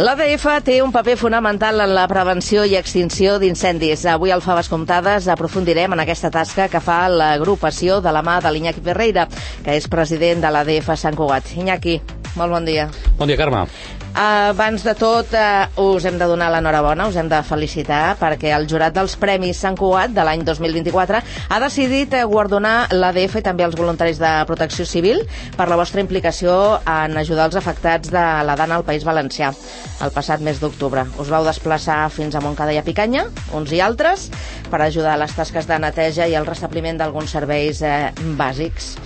L'ADF té un paper fonamental en la prevenció i extinció d'incendis. Avui al Faves Comptades aprofundirem en aquesta tasca que fa l'agrupació de la mà de l'Iñaki Ferreira, que és president de l'ADF Sant Cugat. Iñaki, molt bon dia. Bon dia, Carme. Abans de tot, us hem de donar l'enhorabona, us hem de felicitar, perquè el jurat dels Premis Sant Cugat de l'any 2024 ha decidit guardonar l'ADF i també els voluntaris de protecció civil per la vostra implicació en ajudar els afectats de la Dana al País Valencià el passat mes d'octubre. Us vau desplaçar fins a Montcada i a Picanya, uns i altres, per ajudar a les tasques de neteja i el restabliment d'alguns serveis bàsics.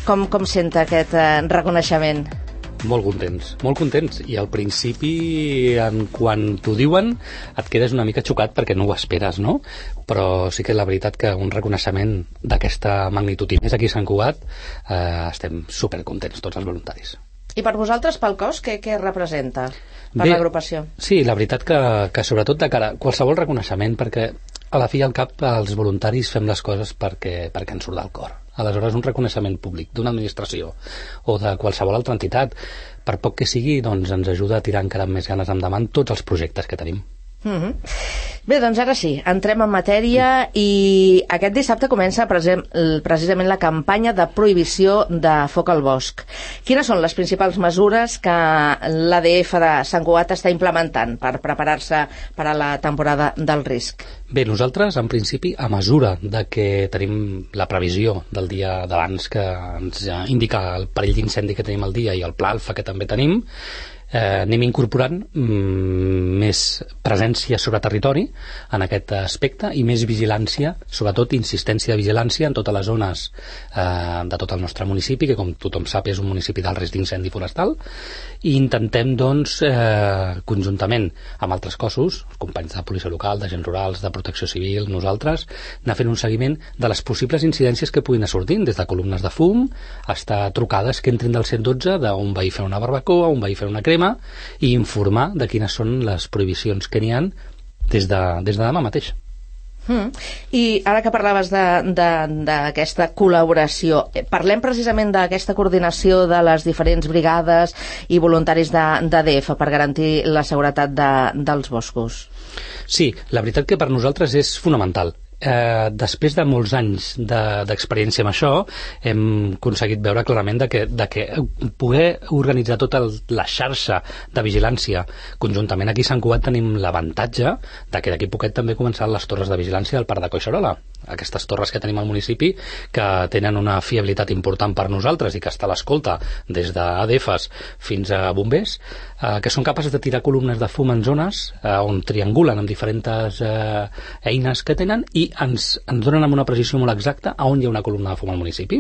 Com senta aquest reconeixement? Molt contents. I al principi, quan t'ho diuen, et quedes una mica xocat perquè no ho esperes, no? Però sí que és la veritat que un reconeixement d'aquesta magnitud i més aquí a Sant Cugat, estem supercontents tots els voluntaris. I per vosaltres, pel cos, què representa per l'agrupació? Sí, la veritat que sobretot de cara a qualsevol reconeixement, perquè a la fi i al cap els voluntaris fem les coses perquè ens surt del cor. Aleshores, un reconeixement públic d'una administració o de qualsevol altra entitat, per poc que sigui, doncs ens ajuda a tirar encara amb més ganes endavant tots els projectes que tenim. Bé, doncs ara sí, entrem en matèria i aquest dissabte comença precisament la campanya de prohibició de foc al bosc. Quines són les principals mesures que l'ADF de Sant Cugat està implementant per preparar-se per a la temporada del risc? Bé, nosaltres, en principi, a mesura de que tenim la previsió del dia d'abans que ens indica el perill d'incendi que tenim al dia i el pla alfa que també tenim, anem incorporant més presència sobre territori en aquest aspecte i més vigilància, sobretot insistència de vigilància en totes les zones de tot el nostre municipi, que com tothom sap és un municipi d'alt risc d'incendi forestal, i intentem doncs conjuntament amb altres cossos, els companys de policia local, d'agents rurals, de protecció civil, nosaltres, anar fent un seguiment de les possibles incidències que puguin anar sortint, des de columnes de fum fins a trucades que entrin del 112 d'un veí fent una barbacoa, un veí fent una crema, i informar de quines són les prohibicions que n'hi ha des de demà mateix. I ara que parlaves d'aquesta col·laboració, parlem precisament d'aquesta coordinació de les diferents brigades i voluntaris d'ADF per garantir la seguretat dels boscos. Sí, la veritat que per nosaltres és fonamental. Després de molts anys d'experiència amb això, hem aconseguit veure clarament de que poder organitzar tota la xarxa de vigilància conjuntament aquí a Sant Cugat tenim l'avantatge de que d'aquí poquet també començaran les torres de vigilància del Parc de Collserola, aquestes torres que tenim al municipi que tenen una fiabilitat important per nosaltres i que està a l'escolta des d'ADFs fins a bombers, que són capaces de tirar columnes de fum en zones on triangulen amb diferents eines que tenen i ens donen amb una precisió molt exacta a on hi ha una columna de fum al municipi.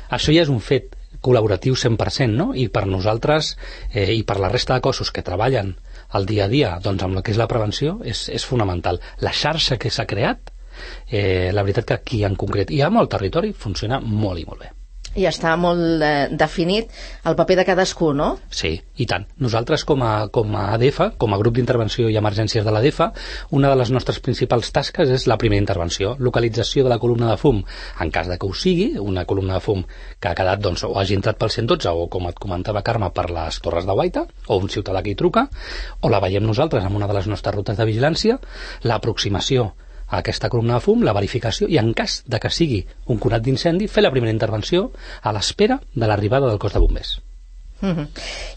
Això ja és un fet col·laboratiu 100%, no? I per nosaltres i per la resta de cossos que treballen al dia a dia doncs amb el que és la prevenció és fonamental. La xarxa que s'ha creat, la veritat que aquí en concret i a molt territori funciona molt i molt bé. I està molt definit el paper de cadascú, no? Sí, i tant. Nosaltres com a ADF, com a grup d'intervenció i emergències de l'ADF, una de les nostres principals tasques és la primera intervenció, localització de la columna de fum, en cas de que ho sigui, una columna de fum que ha quedat doncs, o hagi entrat pel 112 o, com et comentava Carme, per les Torres de Guaita, o un ciutadà que hi truca, o la veiem nosaltres en una de les nostres rutes de vigilància, l'aproximació a aquesta columna de fum, la verificació i en cas de que sigui un conat d'incendi, fer la primera intervenció a l'espera de l'arribada del cos de bombers.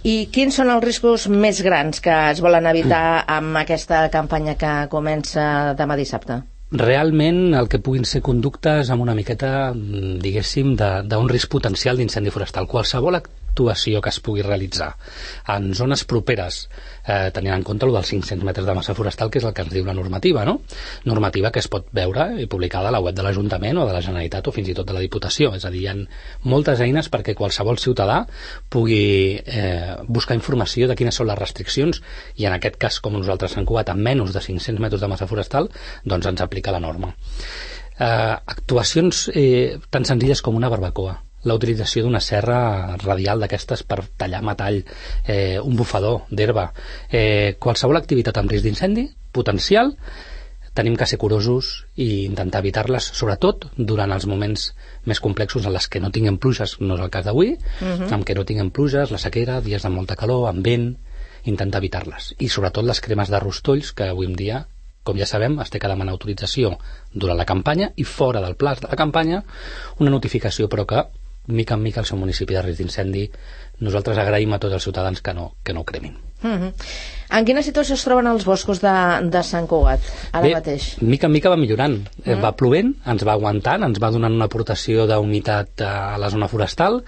I quins són els riscos més grans que es volen evitar amb aquesta campanya que comença demà dissabte? Realment el que puguin ser conductes amb una miqueta, diguéssim, d'un risc potencial d'incendi forestal. Qualsevol actuació que es pugui realitzar en zones properes, tenint en compte el dels 500 metres de massa forestal, que és el que ens diu la normativa, no? Normativa que es pot veure i publicada a la web de l'Ajuntament o de la Generalitat o fins i tot de la Diputació. És a dir, hi ha moltes eines perquè qualsevol ciutadà pugui buscar informació de quines són les restriccions i en aquest cas, com nosaltres a Sant Cugat, amb menys de 500 metres de massa forestal, doncs ens aplica la norma. Actuacions tan senzilles com una barbacoa, la utilització d'una serra radial d'aquestes per tallar metall, un bufador d'herba, qualsevol activitat amb risc d'incendi potencial, tenim que ser curosos i intentar evitar-les, sobretot durant els moments més complexos en les que no tinguem pluges, no és el cas d'avui, en què no tinguem pluges, la sequera, dies de molta calor, amb vent, intentar evitar-les. I sobretot les cremes de rostolls, que avui en dia, com ja sabem, es té que demanar autorització durant la campanya i fora del plaç de la campanya una notificació, però que mica en mica el seu municipi de risc d'incendi nosaltres agraïm a tots els ciutadans que no ho cremin. En quina situació es troben els boscos de Sant Cugat ara mateix? Mica en mica va millorant. Va plovent, ens va aguantant, ens va donant una aportació d'humitat a la zona forestal.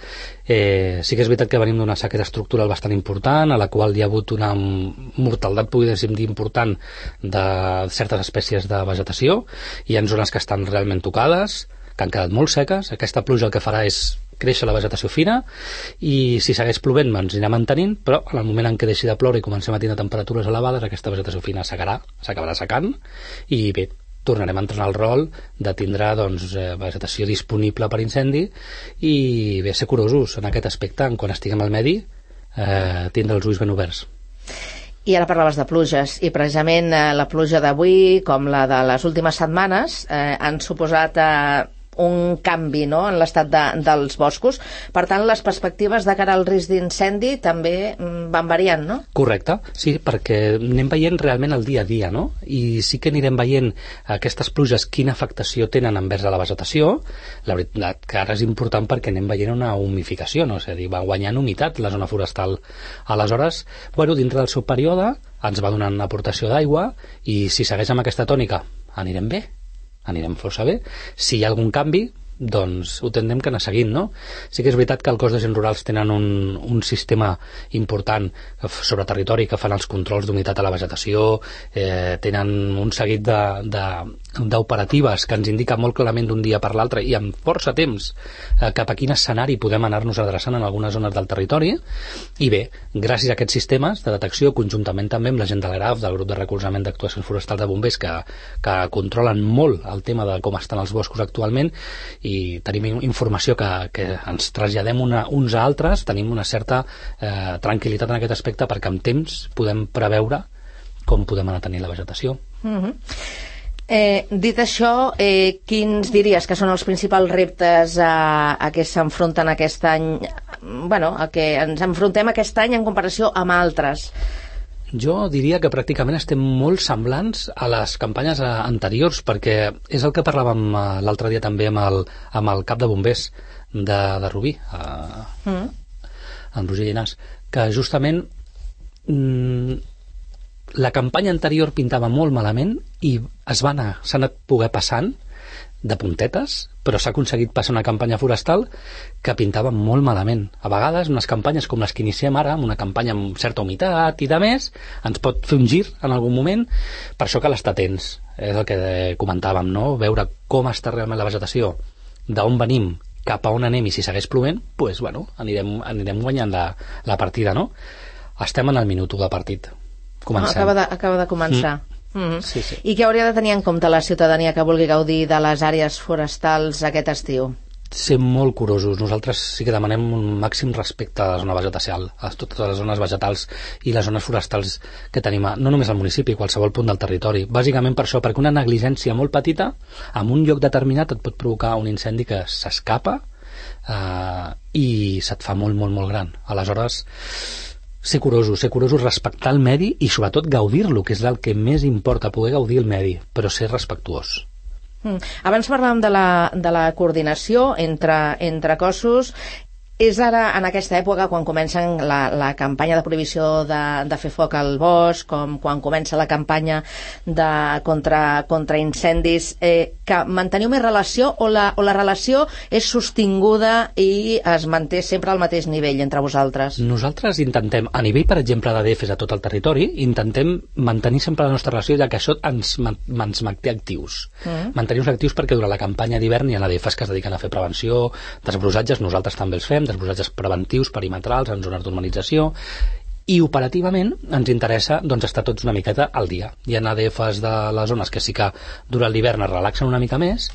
Sí que és veritat que venim d'una sequera estructural bastant important, a la qual hi ha hagut una mortaldat, podríem dir, important de certes espècies de vegetació. Hi ha zones que estan realment tocades, que han quedat molt seques. Aquesta pluja el que farà és créixer la vegetació fina i si segueix plovent ens anirà mantenint, però en el moment en què deixi de ploure i comencem a tindre temperatures elevades aquesta vegetació fina s'acabarà secant i bé, tornarem a entrar en el rol de tindre vegetació disponible per incendi i bé, ser curosos en aquest aspecte, quan estiguem al medi tindre els ulls ben oberts. I ara parlaves de pluges, i precisament la pluja d'avui, com la de les últimes setmanes, han suposat un canvi, no?, en l'estat dels boscos. Per tant, les perspectives de cara al risc d'incendi també van variant, no? Correcte, sí, perquè anem veient realment el dia a dia, no? I sí que anirem veient aquestes pluges quina afectació tenen envers a la vegetació. La veritat que ara és important perquè anem veient una humificació, no? És a dir, va guanyant humitat la zona forestal. Aleshores, dintre del seu període ens va donant una aportació d'aigua i si segueix amb aquesta tònica anirem bé, anirem força bé. Si hi ha algun canvi, doncs ho tindrem que anar seguint, no? Sí que és veritat que el cos d'agents rurals tenen un sistema important sobre territori que fan els controls d'humitat a la vegetació, tenen un seguit d'operatives que ens indica molt clarament d'un dia per l'altre i amb força temps cap a quin escenari podem anar-nos adreçant en algunes zones del territori. I bé, gràcies a aquests sistemes de detecció, conjuntament també amb la gent de l'ARAF, del grup de recolzament d'actuacions forestals de bombers, que controlen molt el tema de com estan els boscos actualment, i tenim informació que ens traslladem uns a altres, tenim una certa tranquil·litat en aquest aspecte perquè amb temps podem preveure com podem anar tenint la vegetació. Dit això, quins diries que són els principals reptes a què s'enfronten aquest any, a què ens enfrontem aquest any en comparació amb altres? Jo diria que pràcticament estem molt semblants a les campanyes anteriors, perquè és el que parlàvem l'altre dia també amb el cap de bombers de Rubí, en Roger Llinàs, que justament la campanya anterior pintava molt malament i s'ha anat poder passant de puntetes, però s'ha aconseguit passar una campanya forestal que pintava molt malament. A vegades, unes campanyes com les que iniciem ara, amb una campanya amb certa humitat i de més, ens pot fer un gir en algun moment, per això cal estar atents. És el que comentàvem, no? Veure com està realment la vegetació, d'on venim, cap a on anem i si segueix plovent, doncs, anirem guanyant la partida, no? Estem en el minut 1 de partit. Comencem. Acaba de començar. Sí, sí. I què hauria de tenir en compte la ciutadania que vulgui gaudir de les àrees forestals aquest estiu? Ser molt curosos. Nosaltres sí que demanem un màxim respecte a la zona vegetal, a totes les zones vegetals i les zones forestals que tenim, no només al municipi, a qualsevol punt del territori. Bàsicament per això, perquè una negligència molt petita en un lloc determinat et pot provocar un incendi que s'escapa i se't fa molt, molt, molt gran. Aleshores, ser curosos, respectar el medi i sobretot gaudir-lo, que és el que més importa, poder gaudir el medi, però ser respectuós. Abans parlàvem de la coordinació entre cossos. És ara, en aquesta època, quan comencen la campanya de prohibició de fer foc al bosc, com quan comença la campanya contra incendis, que manteniu més relació o la relació és sostinguda i es manté sempre al mateix nivell entre vosaltres? Nosaltres intentem, a nivell, per exemple, d'ADFs a tot el territori, intentem mantenir sempre la nostra relació, ja que això ens manté actius. Mantenir-nos actius perquè durant la campanya d'hivern hi ha ADFs que es dediquen a fer prevenció, desbrosatges, nosaltres també els fem, desbrosatges preventius, perimetrals, en zones d'urbanització, i operativament ens interessa estar tots una miqueta al dia. Hi ha ADFs de les zones que sí que durant l'hivern es relaxen una mica més,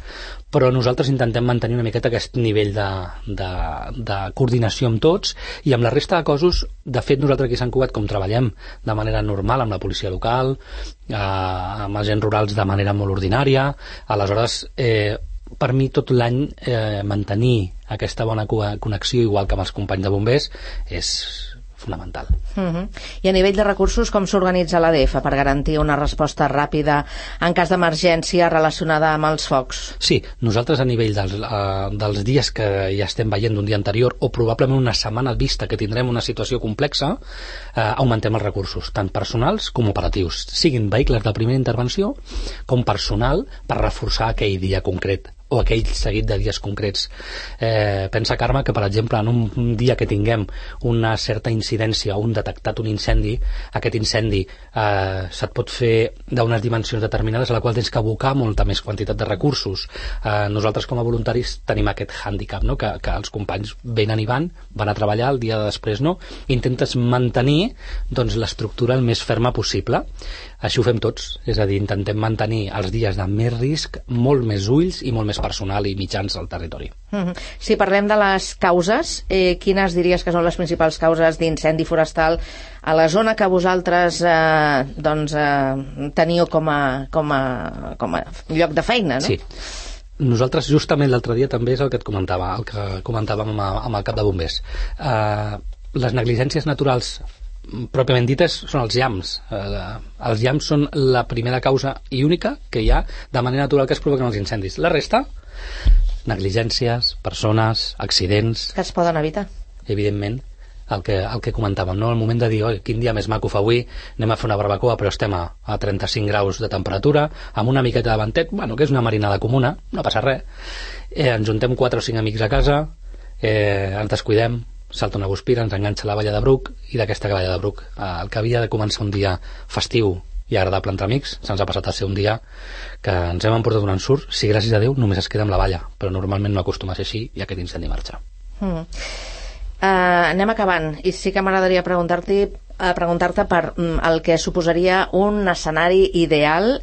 però nosaltres intentem mantenir una miqueta aquest nivell de coordinació amb tots, i amb la resta de cossos, de fet nosaltres aquí a Sant Cugat, com treballem de manera normal amb la policia local, amb agents rurals de manera molt ordinària, aleshores per mi tot l'any mantenir aquesta bona connexió, igual que amb els companys de bombers, és fonamental. I a nivell de recursos, com s'organitza l'ADF per garantir una resposta ràpida en cas d'emergència relacionada amb els focs? Sí, nosaltres a nivell dels dies que ja estem veient d'un dia anterior, o probablement una setmana vista que tindrem una situació complexa, augmentem els recursos, tant personals com operatius, siguin vehicles de primera intervenció com personal per reforçar aquell dia concret o aquell seguit de dies concrets. Pensa, Carme, que per exemple en un dia que tinguem una certa incidència o un detectat un incendi, aquest incendi se't pot fer d'unes dimensions determinades a la qual tens que abocar molta més quantitat de recursos. Nosaltres com a voluntaris tenim aquest hàndicap, no? que els companys venen i van a treballar, el dia de després no, intentes mantenir doncs, l'estructura el més ferma possible. Així ho fem tots, és a dir, intentem mantenir els dies de més risc, molt més ulls i molt més personal i mitjans al territori. Si parlem de les causes, quines diries que són les principals causes d'incendi forestal a la zona que vosaltres teniu com a lloc de feina, no? Sí. Nosaltres justament l'altre dia també és el que et comentava, el que comentàvem amb el cap de bombers. Les negligències naturals pròpiament dites són els llamps. Els llamps són la primera causa i única que hi ha de manera natural que es provoquen els incendis. La resta, negligències, persones, accidents... Que es poden evitar. Evidentment, el que comentàvem, no? El moment de dir, quin dia més maco fa avui, anem a fer una barbacoa, però estem a 35 graus de temperatura, amb una miqueta de ventet, que és una marinada comuna, no passa res. Ens juntem 4 o 5 amics a casa, ens descuidem, salta una guspira, ens enganxa la valla de Bruc, i d'aquesta valla de Bruc, el que havia de començar un dia festiu i agradable entre amics, se'ns ha passat a ser un dia que ens hem emportat un ensurt, si gràcies a Déu només es queda amb la valla, però normalment no acostuma a ser així i aquest incendi marxa. Anem acabant, i sí que m'agradaria preguntar-te per el que suposaria un escenari ideal.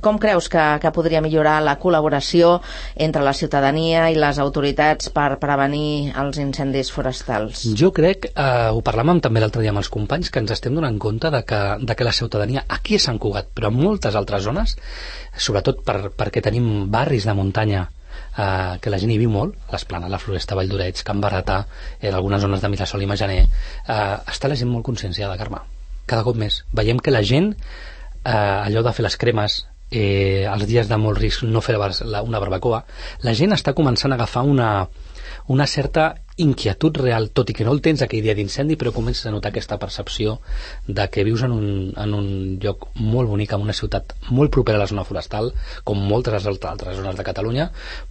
Com creus que podria millorar la col·laboració entre la ciutadania i les autoritats per prevenir els incendis forestals? Jo crec, ho parlàvem també l'altre dia amb els companys, que ens estem donant compte de que la ciutadania aquí a Sant Cugat, però en moltes altres zones, sobretot perquè tenim barris de muntanya que la gent hi viu molt, l'Esplanada, la Floresta, Vall d'Oreig, Can Barretà, en algunes zones de Mirasol i Majaner, està la gent molt conscienciada, Carme, cada cop més. Veiem que la gent, allò de fer les cremes, els dies de molt risc no fer una barbacoa, la gent està començant a agafar una certa inquietud real, tot i que no el tens aquell dia d'incendi, però comences a notar aquesta percepció de que vius en un lloc molt bonic, en una ciutat molt propera a la zona forestal, com moltes altres zones de Catalunya,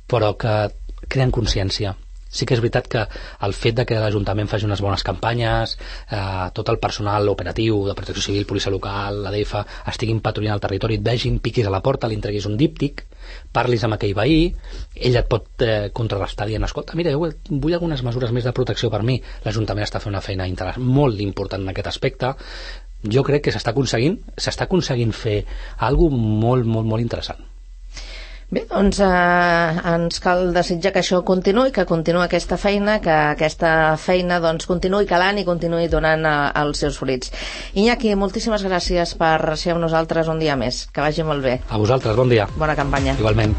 però que creen consciència. Sí que és veritat que el fet de que l'Ajuntament faci unes bones campanyes, tot el personal operatiu de Protecció Civil, Policia Local, l'ADF, estiguin patrullant el territori, et vegin, piquis a la porta, li entreguis un díptic, parlis amb aquell veí, ell et pot contrarrestar dient, escolta, mira, jo vull algunes mesures més de protecció per mi. L'Ajuntament està fent una feina molt important en aquest aspecte. Jo crec que s'està aconseguint fer alguna cosa molt, molt, molt interessant. Bé, doncs ens cal desitjar que això continuï, que continuï aquesta feina, que aquesta feina doncs, continuï calant i continuï donant els seus fruits. Iñaki, moltíssimes gràcies per ser amb nosaltres un dia més. Que vagi molt bé. A vosaltres, bon dia. Bona campanya. Igualment.